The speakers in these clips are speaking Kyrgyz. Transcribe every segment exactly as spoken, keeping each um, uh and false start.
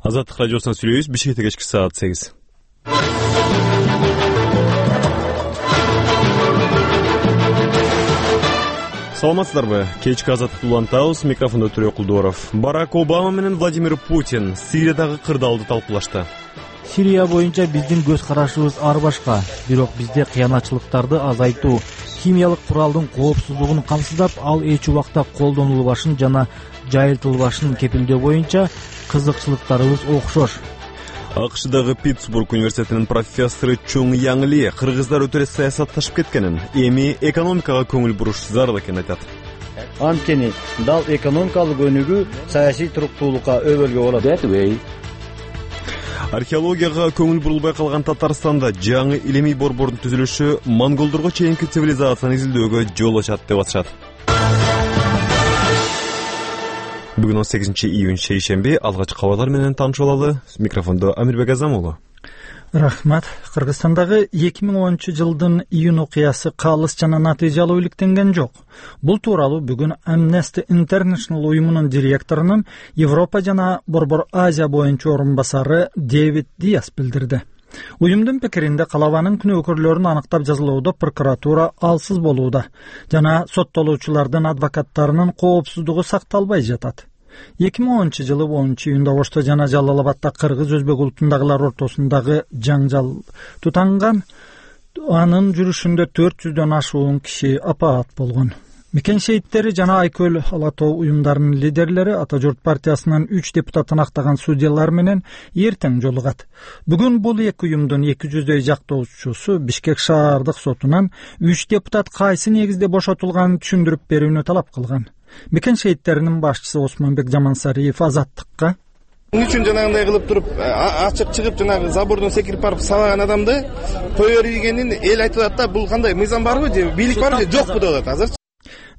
Азаттык радиосунан сүйлөйбүз. Бишкекте кечки саат сегиз. Саламатсыздарбы? Кечки азаттыкты улантабыз. Микрофондо Төрө Кулдуоров. Барак Обама менен Владимир Путин Сириядагы кырдаалды талкуулашты. Сирия боюнча биздин көз карашыбыз ар башка. Бирок бизде кыянатчылыктарды азайтуу, химиялык куралдын коопсуздугун камсыздап, ал эч убакта колдонулбашын жана жайылтылбашын кепилдөө боюнча кызыкчылыктарыбыз окшош. АКШдагы Питтсбург университетинин профессору Чоң Яң Ли кыргыздар өтө эле саясатташып кеткенин, эми экономикага көңүл буруш зарыл экенин айтат. Анткени дал экономикалык өнүгүү саясий туруктуулукка өбөлгө болот. Археологияга көңүл бурулбай калган Татарстанда жаңы илимий борбордун түзүлүшү монголдорго чейинки цивилизацияны изилдөөгө жол ачат деп атышат. Бүгүн он сегизинчи июнь шейшемби, алгач кабарлар менен таанышып алалы. Микрофондо Амирбек Азамулу. Рахмат. Кыргызстандагы эки миң онунчу жылдын июнь окуясы калыс жана натыйжалуу иликтенген жок. Бул тууралуу бүгүн Amnesty International уюмунун директорунун Европа жана Борбор Азия боюнча орун басары Дэвид Диас билдирди. Уюмдун пикиринде калабанын күнөөкөрлөрүн аныктап жазылууда прокуратура алсыз болууда жана соттолуучулардын адвокаттарынын коопсуздугу сакталбай жатат. эки миң онунчу жылы онунчу июнда Ошто жана Жалал Абадда кыргыз өзбек улутундагылар ортосундагы жаңжал тутанган. Анын жүрүшүндө төрт жүздөн ашуун киши апаат болгон. Мекен шейиттери жана Айкөл Ала тоо уюмдарынын лидерлери Ата журт партиясынын үч депутатын актаган судьялар менен эртең жолугат. Бүгүн бул эки уюмдун эки жүздөй жактоочусу Бишкек шаардык сотунан үч депутат кайсы негизде бошотулганын түшүндүрүп берүүнү талап кылган. Мекен шейиттеринин башчысы Осмонбек Жамансариев Азаттыкка: Эмне үчүн жанагындай кылып туруп ачык чыгып жанагы забордон секирип барып сабаган адамды кое бергенин эл айтып атат да, бул кандай мыйзам барбы же бийлик барбы же жокпу деп атат азыр,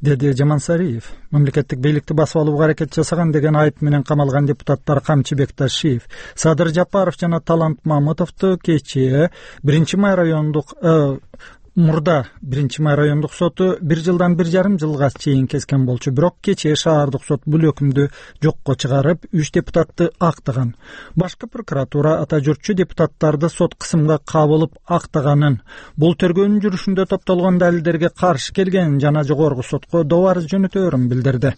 деди Жамансариев. Мамлекеттик бийликти басып алууга аракет жасаган деген айып менен камалган депутаттар Камчыбек Ташиев, Садыр Жапаров жана Талант Мамытовду кечээ биринчи май райондук Мурда биринчи май райондук соту бир жылдан бир жарым жылга чейин kesкен болчу. Бирок кечээ шаардык сот бул өкүмдү жокко чыгарып, үч депутатты актаган. Башкы прокуратура Ата журтчу депутаттарды сот кысымга кабылып актаганын, бул тергөөнүн жүрүшүндө топтолгон далилдерге каршы келгенин жана жогорку сотко добарыз жөнөтөөрүн билдирди.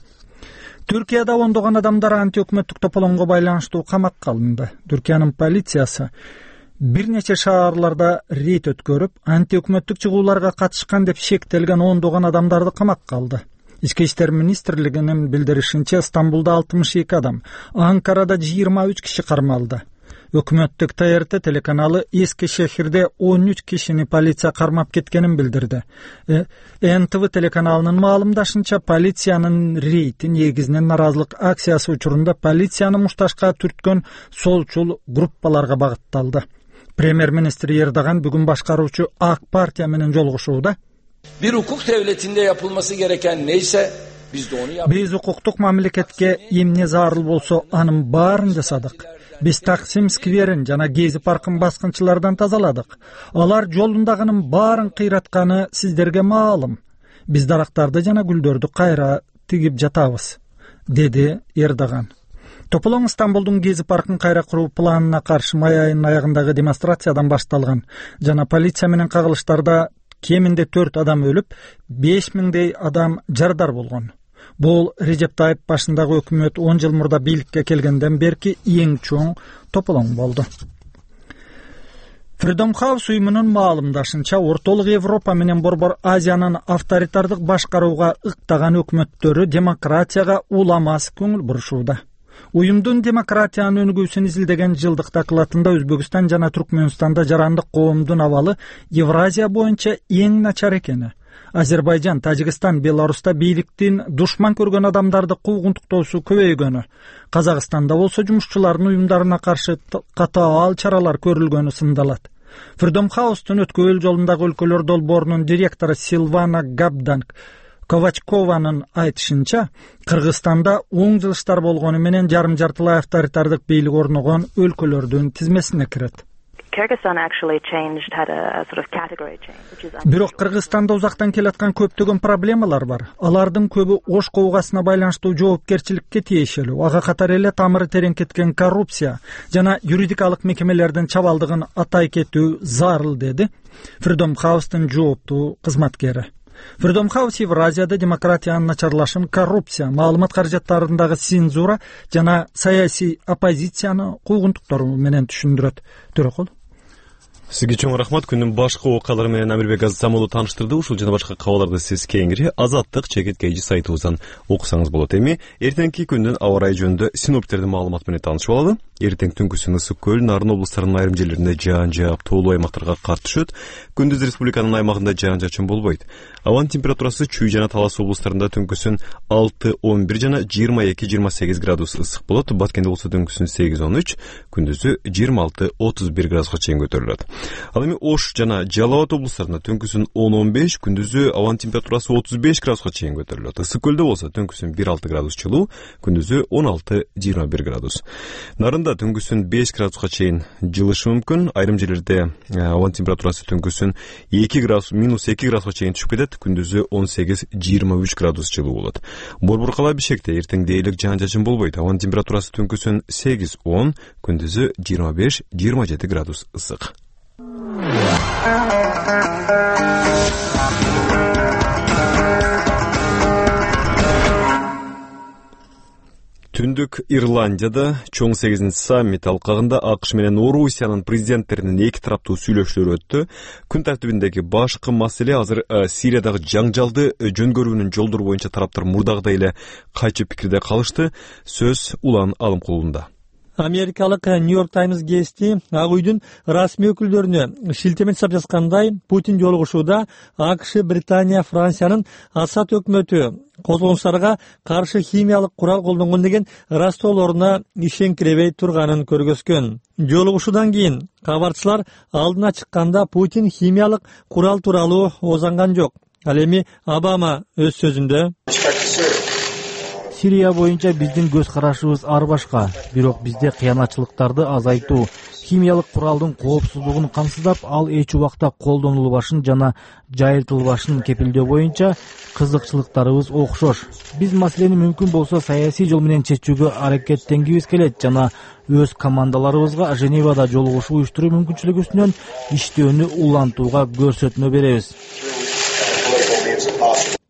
Түркияда ондогон адамдар антиөкмөттүк тополоңго байланыштуу камакка алынды. Түркиянын полициясы бир нече шаарларда рейд өткөрүп, антиөкмөттүк чыгууларга катышкан деп шектелген ондогон адамдарды камакка алды. Ички иштер министрлигинин билдиришинче, Стамбулда алтымыш эки адам, Анкарада жыйырма үч киши кармалды. Өкмөттүк Т Р Т телеканалы Эски шехирде он үч кишини полиция кармап кеткенин билдирди. Н Т В телеканалынын маалымдашынча, полициянын рейди негизинен наразылык акциясы учурунда полицияны мушташка түрткөн солчул группаларга багытталды. Премьер-министр Эрдоган бүгүн башкаруучу ак партия менен жолугушууда. Bir hukuk devletinde yapılması gereken neyse biz de onu yaptık. Биз укуктук мамлекетке эмне зарыл болсо анын баарын жасадык. Биз Таксим скверин жана Гези паркын баскынчылардан тазаладык. Алар жолундагынын баарын кыйратканы сиздерге маалым. Биз дарактарды жана гүлдөрдү кайра тигип жатабыз, деди Эрдоган. Тополоң Стамбулдун Гези паркын кайра куруу планына каршы май айынын аягындагы демонстрациядан башталган жана полиция менен кагылыштарда кеминде төрт адам өлүп, беш миңдей адам жардар болгон. Бул Режеп Тайып башындагы өкмөт он жыл мурда бийликке келгенден берки эң чоң тополоң болду. Freedom House уюмунун маалымдашынча, Ортолук Европа менен Борбор Азиянын авторитардык башкарууга ыктаган өкмөттөрү демократияга уламас көңүл бурушууда. Уюмдун демократиянын өнүгүүсүн изилдеген жылдык докладында Өзбекстан жана Түркмөнстанда жарандык коомдун абалы Евразия боюнча эң начар экени, Азербайжан, Тажикстан, Беларуста бийликтин душман көргөн адамдарды куугунтуктоосу көбөйгөнү, Казакстанда болсо жумушчулардын уюмдарына каршы катаал чаралар көрүлгөнү сындалат. Freedom House'тун өткөл жолундагы өлкөлөр долбоорунун директору Силвана Габданк Ковачкованын айтышынча, Кыргызстанда оң жылыштар болгону менен жарым жартылай авторитардык бийлик орногон өлкөлөрдүн тизмесине кирет. Бирок Кыргызстанда узактан келаткан көптөгөн проблемалар бар. Алардын көбү Ош кобугасына байланыштуу жоопкерчиликке тиешелүү. Ага катар эле тамыры терең кеткен коррупция жана юридикалык мекемелердин чабалдыгын атай кетүү зарыл, деди Freedom House'тун жооптуу кызматкери. Freedom House Евразияда демократиянын начарлашын, коррупция, маалымат каражаттарындагы цензура жана саясий оппозицияны куугунтуктары менен түшүндүрөт. Төрөкул. Сизге чоң рахмат. Күндүн башкы окуялары менен Амирбек Азамолу тааныштырды. Ушул жана башка кабарларды сиз кийинки Азаттык чекит кейжи сайтыбыздан окусаңыз болот. Эми эртеңки күндүн аба ырайы жөнүндө синоптиктердин маалыматы менен таанышып алалы. Эртең түнкүсүн Ысык көл, Нарын облустарынын айрым жерлеринде жаан жаап, тоолуу аймактарга кар түшөт. Күндүз республиканын аймагында жаан жачын болбойт. Абанын температурасы Чүй жана Талас облустарында түнкүсүн алты он бир жана жыйырма эки жыйырма сегиз градус ысык болот. Баткенде болсо түнкүсүн сегиз он үч, күндүзү жыйырма алты отуз бир градуска чейин көтөрүлөт. Ал эми Ош жана Жалал Абад облустарында түнкүсүн он он беш, күндүзү абанын температурасы отуз беш градуска чейин көтөрүлөт. Ысык көлдө болсо түнкүсүн бир алты градус жылуу, күндүзү он алты жыйырма бир градус. Нарында түнкүсүн беш градуска чейин жылышы мүмкүн. Айрым жерлерде абанын температурасы түнкүсүн эки градус, минус эки градуска чейин түшүп кетет, күндүзү он сегиз жыйырма үч градус жылуу болот. Борборкала Бишкекте эртең дээрлик жаан жачын болбойт. Абанын температурасы түнкүсүн сегиз он, күндүзү жыйырма беш жыйырма жети градус ысык. Түндүк Ирландияда чоң сегизинчи саммит алкагында АКШ менен Орусиянын президенттеринин эки тараптуу сүйлөшүүлөрү өттү. Күн тартибиндеги башкы маселе азыр Сириядагы жаңжалды жөнгөрүүнүн жолдору боюнча тараптар мурдагыдай эле кайчы пикирде калышты. Сөз Улан Алымкулунда. Америкалык Нью-Йорк Таймс гезити Ак үйдүн расмий өкүлдөрүнө шилтеме жасап жазгандай, Путин жолугушууда АКШ, Британия, Франциянын Асад өкмөтү козголуңчуларга каршы химиялык курал колдонгон деген растоолоруна ишенкиребей турганын көргөзгөн. Жолугушуудан кийин кабарчылар алдына чыкканда Путин химиялык курал тууралуу озанган жок. Ал эми Обама өз сөзүндө Сирия боюнча биздин көз карашыбыз ар башка, бирок бизде кыянатчылыктарды азайтуу, химиялык куралдын коопсуздугун камсыздап, ал эч убакта колдонулбашын жана жайылтылбашын кепилдөө боюнча кызыкчылыктарыбыз окшош. Биз маселени мүмкүн болсо саясий жол менен чечүүгө аракеттенгибиз келет жана өз командаларыбызга Женевада жолугушуу уюштуруу мүмкүнчүлүгү үстүнөн иштөөнү улантууга көрсөтмө беребиз.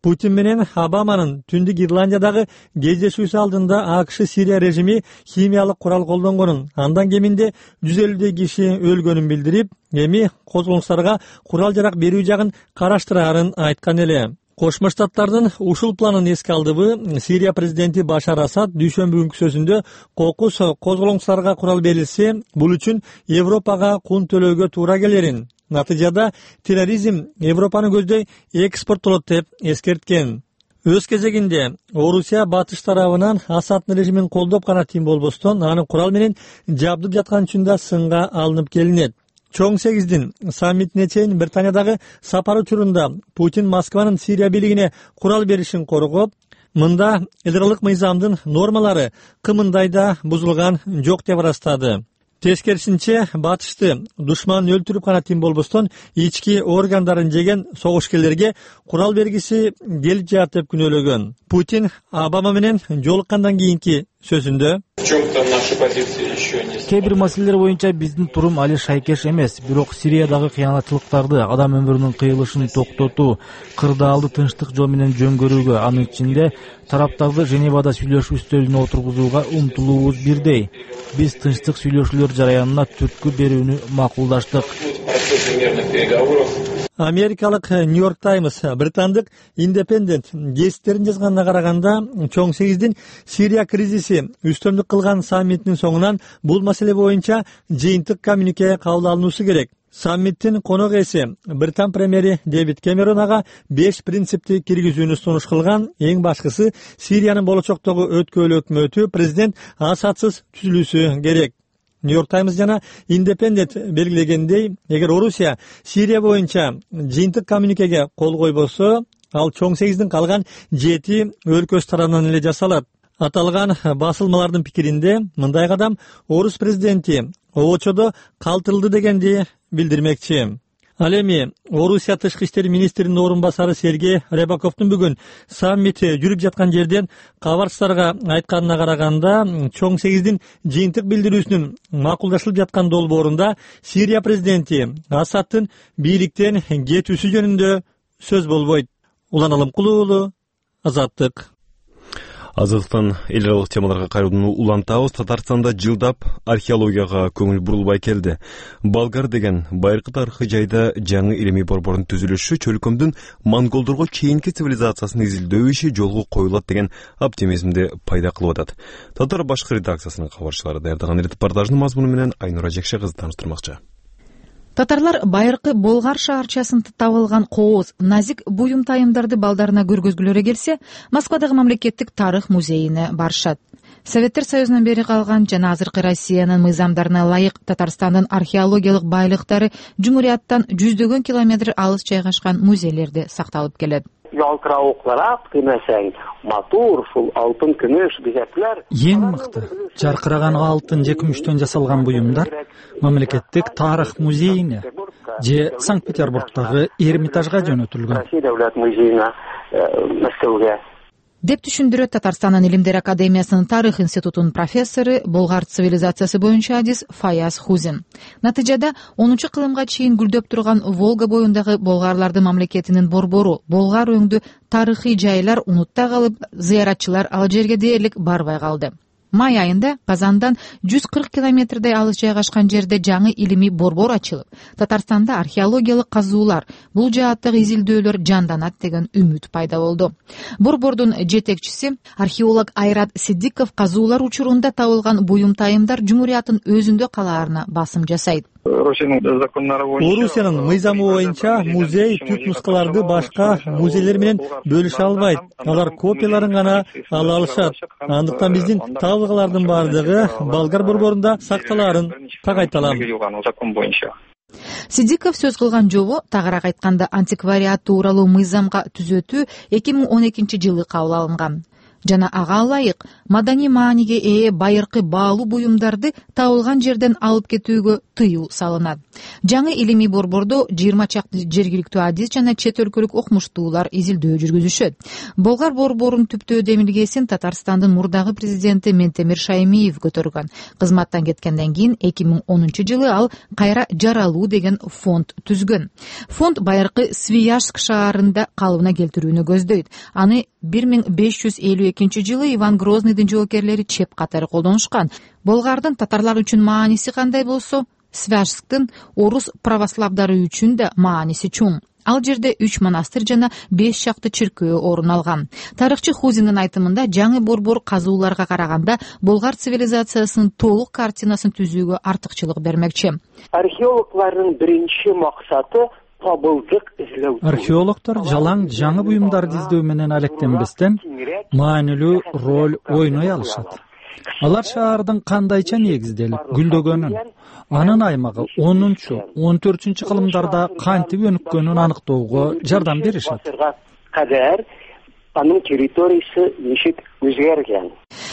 Путин менен Обаманын Түндүк Ирландиядагы кездешүүсү алдында АКШ Сирия режими химиялык курал колдонгонун, андан кеминде жүз элүүдөй киши өлгөнүн билдирип, эми козголуңчуларга курал жарак берүү жагын караштырарын айткан эле. Кошмо Штаттардын ушул планын эске алдыбы Сирия президенти Башар Асад дүйшөмбү күнкү сөзүндө кокус козголуңчуларга курал берилсе, бул үчүн Европага кун төлөөгө туура келерин, натыйжада терроризм Европаны көздөй экспорттолот деп эскерткен. Өз кезегинде Орусия батыш тарабынан Асаддын режимин колдоп гана тим болбостон, анын курал менен жабдып жаткан үчүн да сынга алынып келинет. Чоң сегиздин саммитине чейин Британиядагы сапары учурунда Путин Москванын Сирия бийлигине курал беришин коргоп, мында ядролук мыйзамдын нормалары кымындай да бузулган жок деп ырастады. Тескерисинче, батышты душман өлтүрүп гана тим болбостон, ички органдарын жеген согушкерлерге курал бергиси келип жатат деп күнөөлөгөн. Путин Обама менен жолуккандан кийинки сөзүндө кээ бир маселелер боюнча биздин турум али шайкеш эмес, бирок Сириядагы кыянатчылыктарды, адам өмүрүнүн кыйылышын токтотуу, кырдаалды тынчтык жол менен жөнгөрүүгө, анын ичинде тараптарды Женевада сүйлөшүү үстөлүнө отургузууга умтулуубуз бирдей. Биз тынчтык сүйлөшүүлөр жараянына түрткү берүүнү макулдаштык. Америкалык Нью-Йорк Таймс, британдык Independent гезиттерин жазганына караганда, чоң сегиздин Сирия кризиси үстөмдүк кылган саммитинин соңунан бул маселе боюнча жыйынтык коммюнике кабыл алынуусу керек. Саммиттин конок ээси Британ премьери Дэвид Кэмерон ага беш принципти киргизүүнү сунуш кылган. Эң башкысы Сириянын болочоктогу өткөөлүү өкмөтү президент Асадсыз түзүлүшү керек. Нью-Йорк Таймс жана Independent белгилегендей, эгер Орусия Сирия боюнча жыйынтык коммюникеге кол койбосо, ал чоң сегиздин калган жети өлкөсү тарабынан эле жасалат. Аталган басылмалардын пикиринде мындай кадам орус президенти обочодо калтырылды дегенди билдирмекчи. Ал эми Орусия тышкы иштер министринин орун басары Сергей Рябаковдун бүгүн саммит жүрүп жаткан жерден кабарчыларга айтканына караганда, чоң сегиздин жыйынтык билдирүүсүнүн макулдашылып жаткан долбоорунда Сирия президенти Асадтын бийликтен кетүүсү жөнүндө сөз болбойт. Улан Алымкулуу уулу, Азаттык. Азаттыктан эл аралык темаларга кайрылууну улантабыз. Татарстанда жылдап археологияга көңүл бурулбай келди. Болгар деген байыркы тарыхый жайда жаңы илимий борбордун түзүлүшү чөлкөмдүн монголдорго чейинки цивилизациясын изилдөө иши жолго коюлат деген оптимизмди пайда кылып атат. Татар башкы редакциясынын кабарчылары даярдаган репортаждын мазмуну менен Айнура Жекше кызы тааныштырмакчы. Татарлар байыркы Болгар шаарчасында табылган кооз, назик буюм тайымдарды балдарына көргөзгүлөрү келсе, Москвадагы мамлекеттик тарых музейине барышат. Советтер Союзунан бери калган жана азыркы Россиянын мыйзамдарына ылайык Татарстандын археологиялык байлыктары Жумурияттан жүздөгөн километр алыс жайгашкан музейлерде сакталып келет. Ялтырауыклар демесең, матур, шул алтын, күмүш, бизеклер. Эң мыкты, жаркыраган алтын же күмүштөн жасалган буюмдар мамлекеттик тарых музейине же Санкт-Петербургдагы Эрмитажга жөнөтүлгөн. Россия Давлет музейине, Москвага. Деп түшүндүрөт Татарстандын Илимдер академиясынын тарых институтунун профессору, болгар цивилизациясы боюнча адис Фаяз Хузин. Натыйжада онунчу кылымга чейин гүлдөп турган Волга боюндагы болгарлардын мамлекетинин борбору, болгар өңдүү тарыхый жайлар унутта калып, зыяратчылар ал жерге дээрлик барбай калды. Май айында Казандан жүз кырк километрдей алыс жайгашкан жерде жаңы илимий борбор ачылып, Татарстанда археологиялык казуулар, бул жааттагы изилдөөлөр жанданат деген үмүт пайда болду. Борбордун жетекчиси археолог Айрат Сиддиков казуулар учурунда табылган буюм тайымдар Жумурияттын өзүндө калаарына басым жасайт. Орусиянын мыйзамы боюнча музей түп нускаларды башка музейлер менен бөлүшө албайт. Алар копияларын гана ала алышат. Андыктан биздин табылгалардын бардыгы Болгар борборунда сакталаарын так айталам. Сиддиков сөз кылган жобо, тагыраак айтканда антиквариат тууралуу мыйзамга түзөтүү эки миң он экинчи жылы кабыл алынган. Жана ага ылайык маданий мааниге ээ байыркы баалуу буюмдарды табылган жерден алып кетүүгө тыюу салынат. Жаңы илимий борбордо жыйырма чакты жергиликтүү адис жана чет өлкөлүк окумуштуулар изилдөө жүргүзүшөт. Болгар борборунун түптөө демилгесин Татарстандын мурдагы президенти Ментемир Шаймиев көтөргөн. Кызматтан кеткенден кийин эки миң онунчу жылы ал кайра жаралуу деген фонд түзгөн. Фонд байыркы Свияжск шаарында калыбына келтирүүнү көздөйт. Аны бир миң беш жүз элүү экинчи жылы Иван Грозныйдын жоокерлери чеп катары колдонушкан. Болгардын татарлар үчүн мааниси кандай болсо, Свияжсктын орус православдары үчүн да мааниси чоң. Ал жерде үч монастыр жана беш чакты чиркөө орун алган. Тарыхчы Хузиндин айтымында жаңы борбор казууларга караганда болгар цивилизациясынын толук картинасын түзүүгө артыкчылык бермекчи. Археологлордун биринчи максаты табылдык изилдөө. Археологдор жалаң жаңы буюмдарды издөө менен алектенбестен маанилүү роль ойной алышат. Алар шаардын кандайча негизделип, гүлдөгөнүн, анын аймагы онунчу, он төртүнчү кылымдарда кантип өнүккөнүн аныктоого жардам беришет. Анын территориясы ничек өзгөргөн.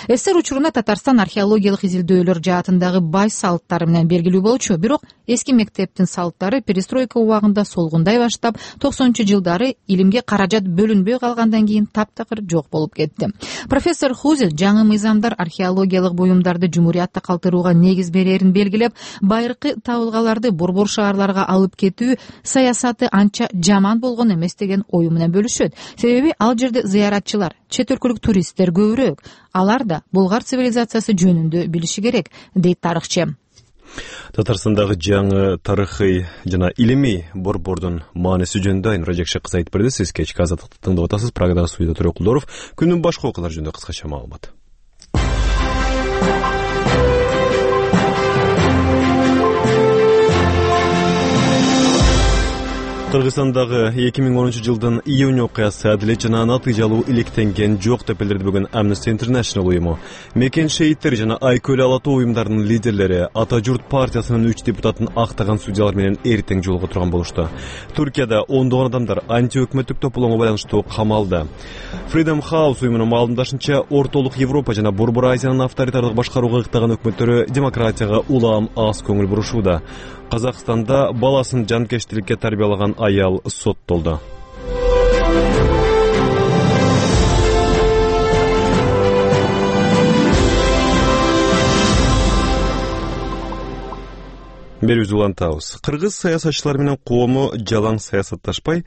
СССР учурунда Татарстан археологиялык изилдөөлөр жаатындагы бай салттары менен белгилүү болчу, бирок эски мектептин салттары перестройка убагында солгундай баштап, токсонунчу жылдары илимге каражат бөлүнбөй калгандан кийин таптакыр жок болуп кетти. Профессор Хузин жаңы мыйзамдар археологиялык буюмдарды Жумуриятта калтырууга негиз берерин белгилеп, байыркы табылгаларды борбор шаарларга алып кетүү саясаты анча жаман болгон эмес деген ою менен бөлүшөт. Себеби ал жерде зыяратчылар, чет өлкөлүк туристтер көбүрөөк. Алар да болгар цивилизациясы жөнүндө билиши керек, дейт тарыхчы. Татарстандагы жаңы тарыхый жана илимий борбордун мааниси жөнүндө Айнура Жекше кызы айтып берди. Сиз кечки Азаттыкты тыңдап атасыз. Программада студияда Төрө Кулдоров. Күндүн башка окуялар жөнүндө кыскача маалымат. Кыргызстандагы эки миң онунчу жылдын июнь окуясы адилет жана натыйжалуу иликтенген жок деп билдирди бүгүн Amnesty International уюму. Мекен шейиттер жана Айкөл Алатуу уюмдарынын лидерлери Ата журт партиясынын үч депутатын актаган судьялар менен эртең жолуга турган болушту. Туркияда ондогон адамдар анти-өкмөттүк тополоңго байланыштуу камалды. Freedom House уюмунун маалымдашынча, ортолук Европа жана Борбор Азиянын авторитардык башкарууга ыктаган өкмөттөрү демократияга улам аз көңүл бурушууда. Казакстанда баласын жанкечтиликке тарбиялаган аял соттолду. Берүүбүз улантабыз. Кыргыз саясатчылары менен коому жалаң саясатташпай,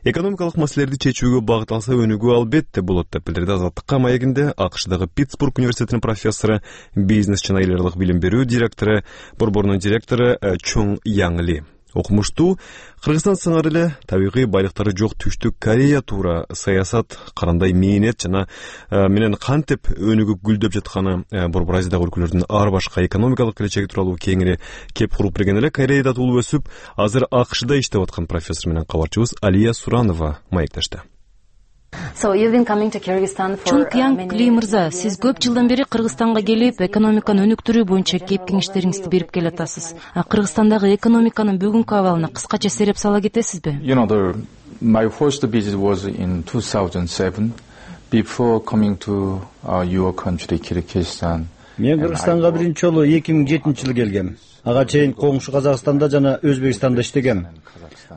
экономикалык маселелерди чечүүгө багыт алса өнүгүү албетте болот деп билдирди Азаттыкка маегинде АКШдагы Питтсбург университетинин профессору, бизнес жана эл аралык билим берүү директору, борборунун директору Чоң Яңли. Окумуштуу Кыргызстан сыңар эле табигый байлыктары жок Түштүк Корея туура саясат карандай мээнет жана менен кантип өнүгүп гүлдөп жатканы, Борбор Азиядагы өлкөлөрдүн ар башка экономикалык келечеги тууралуу кеңири кеп куруп берген эле. Кореяда туулуп өсүп, азыр АКШда иштеп аткан профессор менен кабарчыбыз Алия Суранова маектешти. Чоң Яңли мырза, сиз көп жылдан бери Кыргызстанга келип, экономиканы өнүктүрүү боюнча кеп кеңештериңизди берип келатасыз. Кыргызстандагы экономиканын бүгүнкү абалына кыскача сереп сала кетесизби? You know, the, my first visit was in two thousand seven, before coming to uh, your country, Kyrgyzstan. Мен Кыргызстанга биринчи жолу эки миң жетинчи жылы келгем. Ага чейин коңшу Казакстанда жана Өзбекстанда иштегем.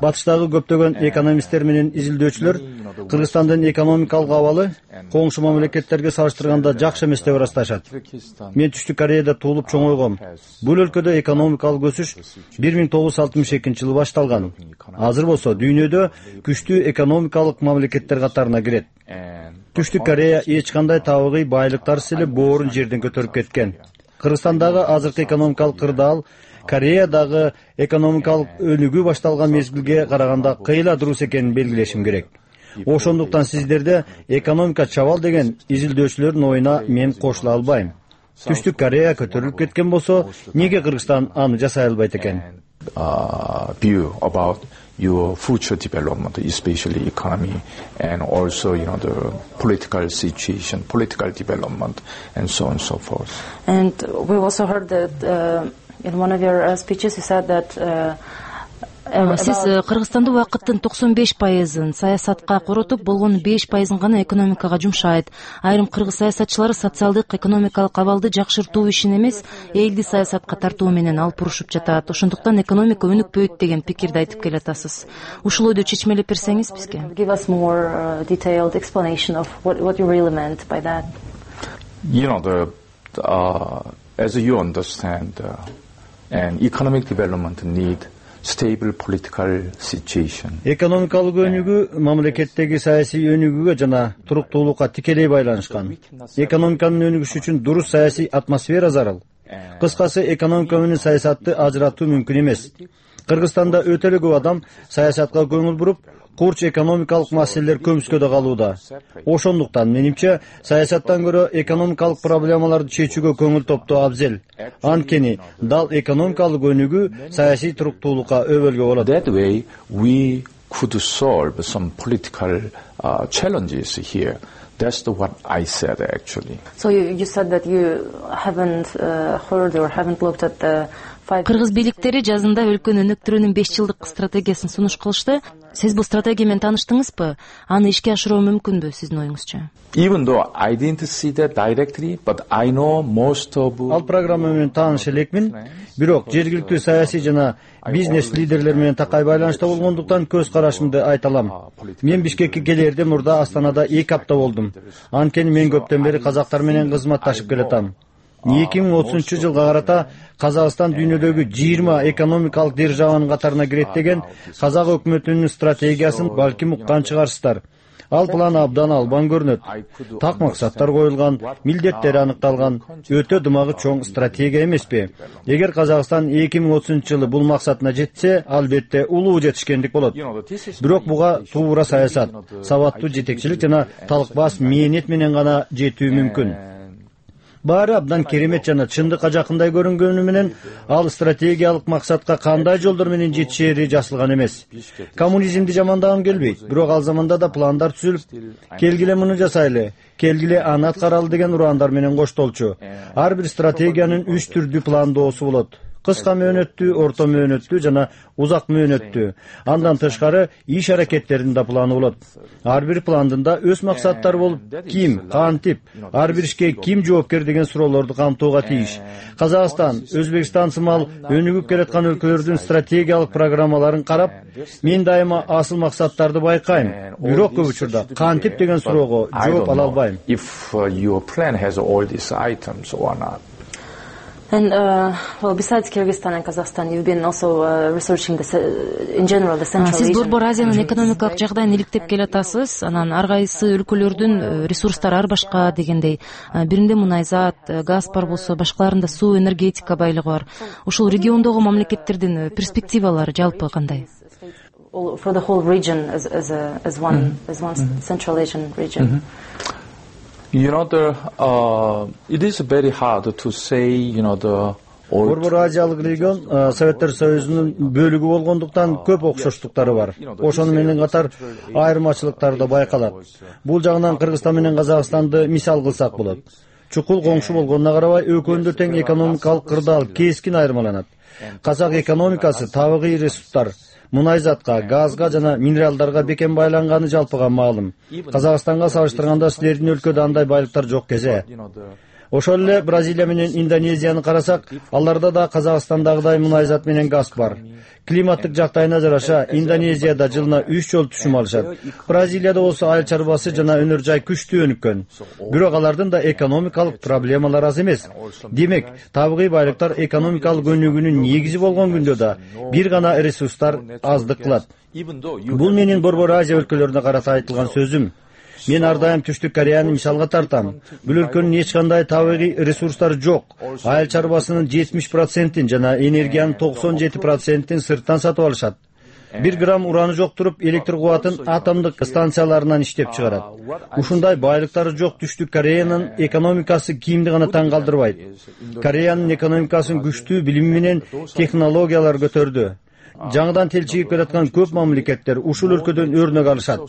Батыштагы көптөгөн экономисттер менен изилдөөчүлөр Кыргызстандын экономикалык абалы коңшу мамлекеттерге салыштырганда жакшы эмес деп ырасташат. Мен Түштүк Кореяда туулуп чоңойгом. Бул өлкөдө экономикалык өсүш бир миң тогуз жүз алтымыш экинчи жылы башталган. Азыр болсо дүйнөдө күчтүү экономикалык мамлекеттер катарына кирет. Түштүк Корея эч кандай табигый байлыктарсыз эле боорун жерден көтөрүп кеткен. Кыргызстандагы азыркы экономикалык кырдаал Кореядагы экономикалык өнүгүү башталган мезгилге караганда кыйла дурус экенин белгилешим керек. Ошондуктан сиздерде экономика чабал деген изилдөөчүлөрдүн оюна мен кошула албайм. Түштүк Корея көтөрүлүп кеткен болсо, эмнеге Кыргызстан аны жасай албайт экен? View about your future development, especially economy, and also, you know, the political situation, political development, and so on and so forth. And we also heard that uh, in one of your uh, speeches you said that uh, Сиз Кыргызстанды убакыттын токсон беш пайызын саясатка коротуп, болгон беш пайызын гана экономикага жумшайт. Айрым кыргыз саясатчылары социалдык, экономикалык абалды жакшыртуу ишин эмес, элди саясатка тартуу менен алып бурушуп жатат. Ошондуктан экономика өнүкпөйт деген пикирди айтып келатасыз. Ушул ойду чечмелеп берсеңиз бизге. Give us more uh, detailed explanation of what what you really meant by that. You know, the uh, as you understand, uh, and economic development need stable political situation. Экономикалык өнүгүү мамлекеттеги саясий өнүгүүгө жана туруктуулукка тикелей байланышкан. Экономиканын өнүгүшү үчүн дурус саясий атмосфера зарыл. Кыскасы, экономика менен саясатты ажыратуу мүмкүн эмес. Кыргызстанда өтө эле көп адам саясатка көңүл буруп, курч экономикалык маселелер көмүскөдө калууда. Ошондуктан менимче саясаттан көрө экономикалык проблемаларды чечүүгө көңүл топтоо абзел. Анткени дал экономикалык өнүгүү саясий туруктуулукка өбөлгө болот. That way we could solve some political uh, challenges here. That's the what I said actually. So you, you said that you haven't uh, heard or haven't looked at the Кыргыз бийликтери жазында өлкөнү өнүктүрүүнүн беш жылдык стратегиясын сунуш кылышты. Сиз бул стратегия менен тааныштыңызбы? Аны ишке ашыруу мүмкүнбү сиздин оюңузча? Even though I didn't see that directly, but I know most of. Ал программа менен тааныш элекмин. Бирок жергиликтүү саясий жана бизнес лидерлер менен такай байланышта болгондуктан көз карашымды айта алам. Мен Бишкекке келерден мурда Астанада эки апта болдум. Анткени мен көптөн бери казактар менен кызматташып келатам. эки миң отузунчу жылга карата Казакстан дүйнөдөгү жыйырма экономикалык державанын катарына кирет деген казак өкмөтүнүн стратегиясын балким уккан чыгарсыздар. Ал план абдан албан көрүнөт. Так максаттар коюлган, милдеттери аныкталган, өтө дымагы чоң стратегия эмеспи? Эгер Казакстан эки миң отузунчу жылы бул максатына жетсе, албетте улуу жетишкендик болот. Бирок буга туура саясат, сабаттуу жетекчилик жана талкбас мээнет менен гана жетүү мүмкүн. Баары абдан керемет жана чындыкка жакындай көрүнгөнү менен ал стратегиялык максатка кандай жолдор менен жетишери жазылган эмес. Коммунизмди жамандагым келбейт, бирок ал заманда да пландар түзүлүп, келгиле муну жасайлы, келгиле аны аткаралы деген ураандар менен коштолчу. Ар бир стратегиянын үч түрдүү пландоосу болот: кыска мөөнөттүү, орто мөөнөттүү жана узак мөөнөттүү. Андан тышкары иш аракеттердин да планы болот. Ар бир пландын да өз максаттары болуп, ким, кантип, ар бир ишке ким жоопкер деген суроолорду камтууга тийиш. Казакстан, Өзбекстан сымал өнүгүп келаткан өлкөлөрдүн стратегиялык программаларын карап, мен дайыма асыл максаттарды байкайм. Бирок көп учурда кантип деген суроого жооп ала албайм. If uh, your plan has all these items or not. And uh, well, besides Kyrgyzstan and Kazakhstan, you've been also uh, researching the, in general the Central Сиз region. Борбор Азиянын экономикалык жагдайын иликтеп келатасыз. Анан ар кайсы өлкөлөрдүн ресурстары ар башка дегендей. Биринде мунайзат, газ бар болсо, башкаларында суу, энергетика байлыгы бар. Ушул региондогу мамлекеттердин перспективалары жалпы кандай? For the whole region as, as, a, as one, mm-hmm. as one mm-hmm. Central Asian region. Mm-hmm. You know, the, uh, it is very hard to say, you know, the Борбор Азиялык регион Советтер Союзунун бөлүгү болгондуктан көп окшоштуктары бар. Ошону менен катар айырмачылыктар да байкалат. Бул жагынан Кыргызстан менен Казакстанды мисал кылсак болот. Чукул коңшу болгонуна карабай, экөөндө тең экономикалык кырдаал кескин айырмаланат. Казак экономикасы табигый ресурстар, мунайзатка, газга жана минералдарга бекем байланганы жалпыга маалым. Казакстанга салыштырганда силердин өлкөдө андай байлыктар жок кесе. Ошол эле Бразилия менен Индонезияны карасак, аларда да Казакстандагыдай мунайзат менен газ бар. Климаттык жактайына жараша Индонезияда жылына үч жолу түшүм алышат. Бразилияда болсо айыл чарбасы жана өнөр жай күчтүү өнүккөн. Бирок алардын да экономикалык проблемалары аз эмес. Демек, табигый байлыктар экономикалык өнүгүүнүн негизи болгон күндө да бир гана ресурстар аздык кылат. Бул менин Борбор Азия өлкөлөрүнө карата айтылган сөзүм. Мен ар дайым Түштүк Кореяны мисалга тартам. Бул өлкөнүн эч кандай табигый ресурстары жок. Айыл чарбасынын жетимиш процентин жана энергиянын токсон жети процентин сырттан сатып алышат. Бир грамм ураны жок туруп, электр кубатын атомдук станцияларынан иштеп чыгарат. Ушундай байлыктары жок Түштүк Кореянын экономикасы кимди гана таң калтырбайт. Кореянын экономикасын күчтүү билим менен технологиялар көтөрдү. Жаңыдан телчигип келаткан көп мамлекеттер ушул өлкөдөн өрнөк алышат.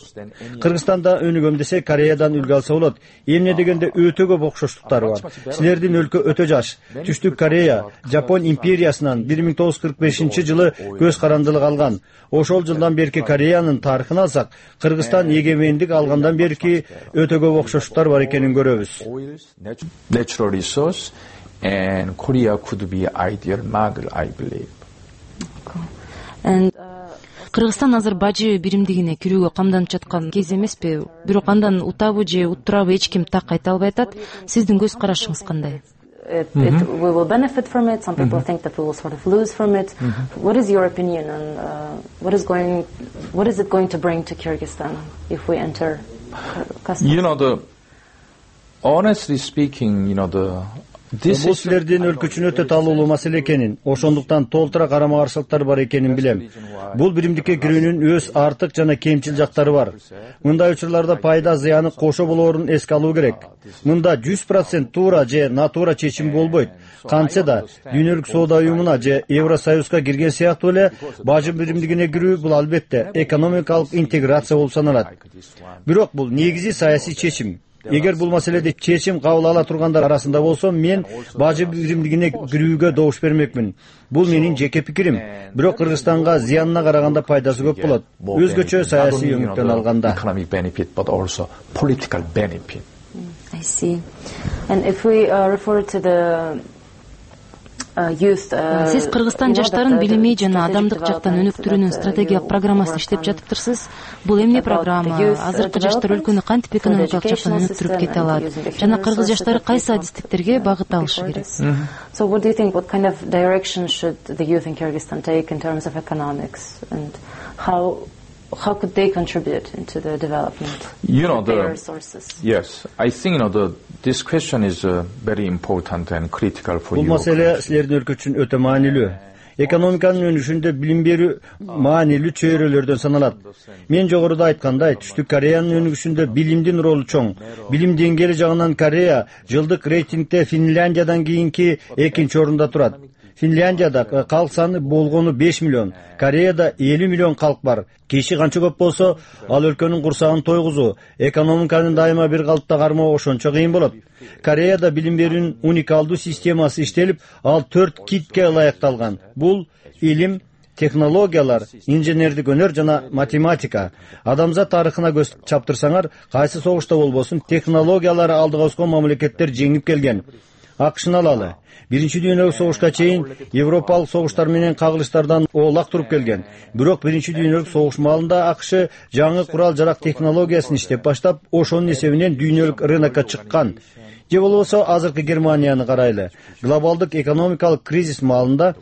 Кыргызстанда өнүгөм десе Кореядан үлгү алса болот. Эмне дегенде өтө көп окшоштуктары бар. Силердин өлкө өтө жаш. Түштүк Корея Жапон империясынан бир миң тогуз жүз кырк бешинчи жылы көз карандылык алган. Ошол жылдан берки Кореянын тарыхын алсак, Кыргызстан эгемендик алгандан берки өтө көп окшоштуктар бар экенин көрөбүз. Natural resource and Korea could be ideal model, I believe. Кыргызстан азыр бажы биримдигине кирүүгө камданып жаткан кез эмеспи? Бирок андан утабы же уттурабы эч ким так айта албай атат. Сиздин көз карашыңыз кандай? It, it, we will benefit from it. Some people mm-hmm. think that we will sort of lose from it. Mm-hmm. What is your opinion on uh, what is going, what is it going to bring to Kyrgyzstan if we enter customs? You know, the honestly speaking, you know, the Бул силердин өлкө үчүн өтө талуулуу маселе экенин, ошондуктан толтура карама каршылыктар бар экенин билем. Бул биримдикке кирүүнүн өз артык жана кемчил жактары бар. Мындай учурларда пайда зыяны кошо болоорун эске алуу керек. Мында жүз процент туура же натура чечим болбойт. Кантсе да Дүйнөлүк соода уюмуна же Евросоюзга кирген сыяктуу эле бажы биримдигине кирүү бул албетте экономикалык интеграция болуп саналат. Бирок бул негизи саясий чечим. Эгер бул маселеде чечим кабыл ала тургандар арасында болсом, мен бажы биримдигине кирүүгө добуш бермекмин. Бул менин жеке пикирим. Бирок Кыргызстанга зыянына караганда пайдасы көп болот. Өзгөчө саясий өңүттөн алганда. Economic benefit, but also political benefit. I see. And if we uh, refer to the Сиз Кыргызстан жаштарын билими жана адамдык жактан өнүктүрүүнүн стратегиялык программасын иштеп жатыптырсыз. Бул эмне программа? Азыркы жаштар өлкөнү кантип экономикалык жактан өнүктүрүп кете алат? Жана кыргыз жаштары кайсы адистиктерге багыт алышы керек? So what do you think, what kind of direction should the youth in Kyrgyzstan take in terms of economics, and how how could they contribute into the development you know, of their the, resources? Yes, I think you know the this question is uh, very important and critical for you. Бул маселе силердин өлкө үчүн өтө маанилүү. экономиканын өнүшүндө билим берүү маанилүү чөйрөлөрдөн саналат. Мен жогоруда айткандай, Түштүк Кореянын өнүгүшүндө билимдин ролу чоң. Билим деңгээли жагынан Корея жылдык рейтингде Финляндиядан кийинки экинчи орунда турат. Финляндияда калк саны болгону беш миллион, Кореяда элүү миллион калк бар. Киши канча көп болсо, ал өлкөнүн курсагын тойгузуу, экономиканы дайыма бир калыпта кармоо ошончо кыйын болот. Кореяда билим берүүнүн уникалдуу системасы иштелип, ал төрт китке ылайыкталган. Бул илим, технологиялар, инженердик өнөр жана математика. Адамзат тарыхына көз чаптырсаңар, кайсы согушта болбосун, технологиялары алдыга ускан мамлекеттер жеңип келген. АКШны алалы. Биринчи дүйнөлүк согушка чейин Европалык согуштар менен кагылыштардан оолак туруп келген. Бирок биринчи дүйнөлүк согуш маалында АКШ жаңы курал-жарак технологиясын иштеп баштап, ошонун эсебинен дүйнөлүк рынокко чыккан. Же болбосо азыркы Германияны карайлы. Глобалдык экономикалык кризис маалында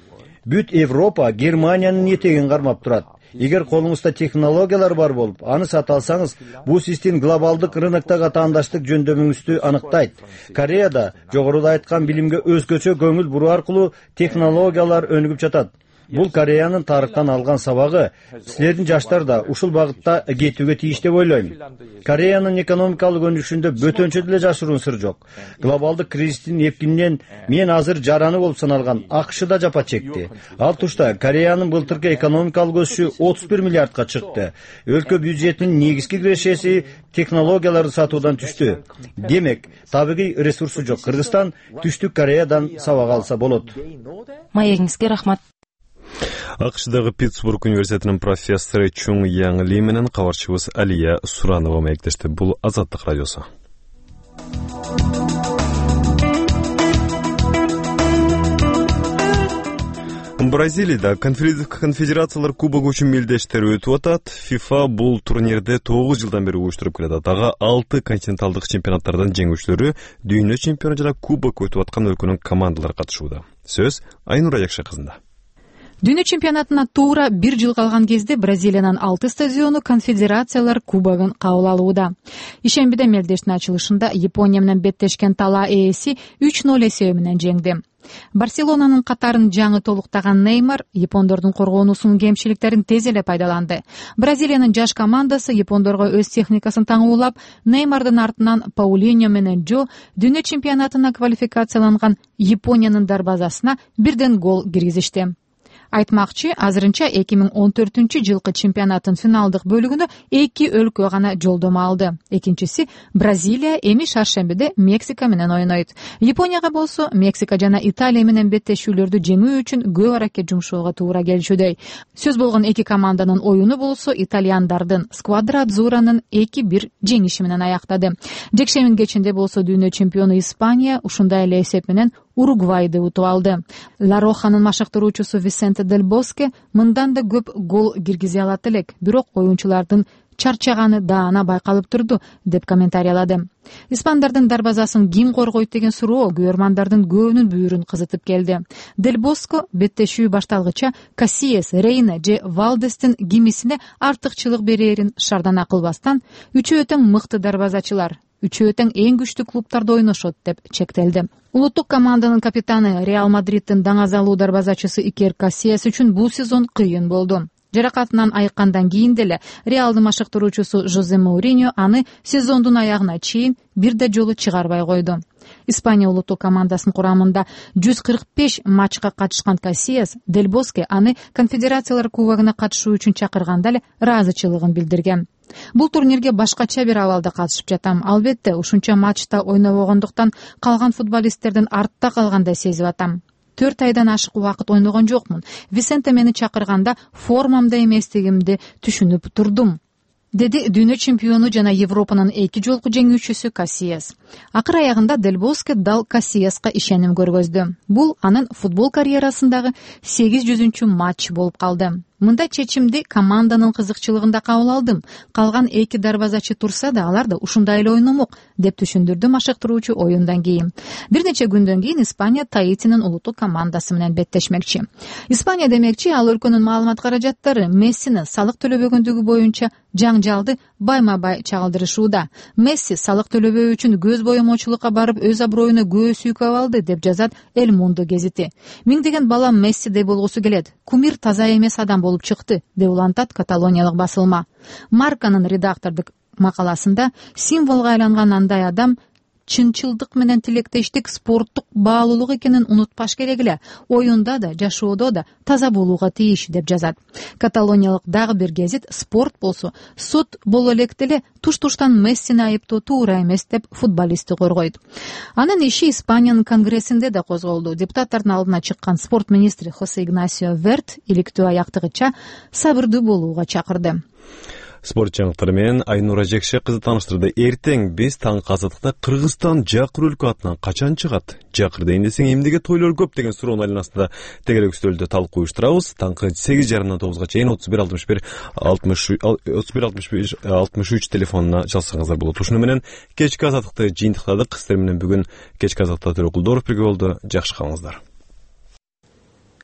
бүт Европа Германиянын этегин кармап турат. Эгер колуңузда технологиялар бар болуп, аны сата алсаңыз, бул сиздин глобалдык рыноктогу таандаштык жөндөмүңүздү аныктайт. Кореяда жогоруда айткан билимге өзгөчө көңүл буруу аркылуу технологиялар өнүгүп жатат. Бул Кореянын тарыхтан алган сабагы. Силердин жаштар да ушул багытта кетүүгө тийиш деп ойлойм. Кореянын экономикалык өнүгүшүндө бөтөнчө деле жашыруун сыр жок. Глобалдык кризистин эпкининен мен азыр жараны болуп саналган АКШ да жапа чекти. Ал тушта Кореянын былтыркы экономикалык өсүшү отуз бир миллиардка чыкты. Өлкө бюджетинин негизги кирешеси технологияларды сатуудан түштү. Демек, табигый ресурсу жок Кыргызстан Түштүк Кореядан сабак алса болот. Маегиңизге рахмат. АКШдагы Питтсбург университетинин профессору Чуң Яң Ли менен кабарчыбыз Алия Суранова маектешти. Бул Азаттык радиосу. Бразилияда конфедерациялар кубогу үчүн мелдештер өтүп атат. ФИФА бул турнирди тогуз жылдан бери уюштуруп келет. Дагы алты континенталдык чемпионаттардан жеңүүчүлөрү, дүйнө чемпиону жана кубок өтүп аткан өлкөнүн командалары катышууда. Сөз Айнура Якшы кызында. Дүйнө чемпионатына туура бир жыл калган кезде Бразилиянын алты стадиону конфедерациялар кубогун кабыл алууда. Ишембиде мелдештин ачылышында Япония менен беттешкен Тала ээси үч ноль эсеби менен жеңди. Барселонанын катарын жаңы толуктаган Неймар япондордун коргоонуусунун кемчиликтерин тез эле пайдаланды. Бразилиянын жаш командасы япондорго өз техникасын таңуулап, Неймардын артынан Паулиньо менен Жо дүйнө чемпионатына квалификацияланган Япониянын дарбазасына бирден гол киргизишти. Айтмакчы, азырынча эки миң он төртүнчү жылкы чемпионаттын финалдык бөлүгүнө эки өлкө гана жолдомо алды. Экинчиси Бразилия эми шаршембиде Мексика менен ойнойт. Японияга болсо Мексика жана Италия менен беттешүүлөрдү жеңүү үчүн көп аракет жумшоого туура келчүдөй. Сөз болгон эки команданын оюну болсо итальяндардын Сквадра Адзуранын эки бир жеңиши менен аяктады. Жекшембин кечинде болсо дүйнө чемпиону Испания ушундай эле эсеп менен Уругвайды утуп алды. Ла Роханын машыктыруучусу Висенте Дель Боске мындан да көп гол киргизе алат элек, бирок оюнчулардын чарчаганы даана байкалып турду, деп комментариялады. Испандардын дарбазасын ким коргойт деген суроо көрөрмандардын көбүнүн бүйүрүн кызытып келди. Дель Боско беттешүү башталгыча Кассиес, Рейна же Валдестин кимисине артыкчылык берерин шардана кылбастан, үчөө тең мыкты дарбазачылар, үчөө тең эң күчтүү клубтарда ойношот деп чектелди. Улуттук команданын капитаны Реал Мадриттин даңазалуу дарбазачысы Икер Кассиес үчүн бул сезон кыйын болду. Жаракатынан айыккандан кийин деле Реалдын машыктыруучусу Жозе Моуриньо аны сезондун аягына чейин бир да жолу чыгарбай койду. Испания улуттук командасынын курамында жүз кырк беш матчка катышкан Кассиес Дель Боске аны конфедерациялар кубогуна катышуу үчүн чакырганда эле ыраазычылыгын билдирген. Бул турнирге башкача бир абалда катышып жатам. Албетте, ушунча матчта ойнобогондуктан калган футболисттердин артта калгандай сезип атам. төрт айдан ашык убакыт ойногон жокмун. Висенте мени чакырганда формамда эместигимди түшүнүп турдум, деди дүйнө чемпиону жана Европанын эки жолку жеңүүчүсү Кассиес. Акыр аягында Дель Боске дал Кассиеска ишеним көргөздү. Бул анын футбол карьерасындагы сегиз жүзүнчү матч болуп калды. Мындай чечимди команданын кызыкчылыгында кабыл алдым. Калган эки дарбазачы турса да алар да ушундай эле ойномок, деп түшүндүрдү машыктыруучу оюндан кийин. Бир нече күндөн кийин Испания Таитинин улуттук командасы менен беттешмекчи. Испания демекчи, ал өлкөнүн маалымат каражаттары Мессини салык төлөбөгөндүгү боюнча жаңжалды байма-бай чагылдырышууда. Месси салык төлөбөө үчүн көз боемочулукка барып өз аброюна көз сүйкөп алды деп жазат Эль Мундо гезити. Миңдеген бала Мессидей болгусу келет. Кумир таза эмес адам болуп чыкты деп улантат каталониялык басылма. Марканын редактордук макаласында символго айланган андай адам чынчылдык менен тилектештик спорттук баалуулук экенин унутпаш керек эле. Оюнда да, жашоодо да таза болууга тийиш деп жазат. Каталониялык дагы бир гезит спорт болсо, суд боло электе эле туш-туштан Мессини айыптоо туура эмес деп футболистти коргойт. Анын иши Испаниянын конгрессинде да козголду. Депутаттардын алдына чыккан спорт министри Хосе Игнасио Верт иликтөө аяктыгыча сабырдуу болууга чакырды. Спорт жаңылыктары менен Айнура Жекше кызы тааныштырды. Эртең биз таңкы азаттыкта Кыргызстан Жакыр өлкө атынан качан чыгат? Жакырда эмнесең эмнеге тойлор көп деген суроонун айланасында тегерек үстөлдө талкуу уюштурабыз. Таңкы сегиз жарымдан тогузга чейин отуз бир алтымыш бир алтымыш үч телефонуна жазсаңыздар болот. Ушуну менен кечки азаттыкты жыйынтыктадык. Сиздер менен бүгүн кечки азаттыкта Төрөкулдоров бирге болду. Жакшы калыңыздар.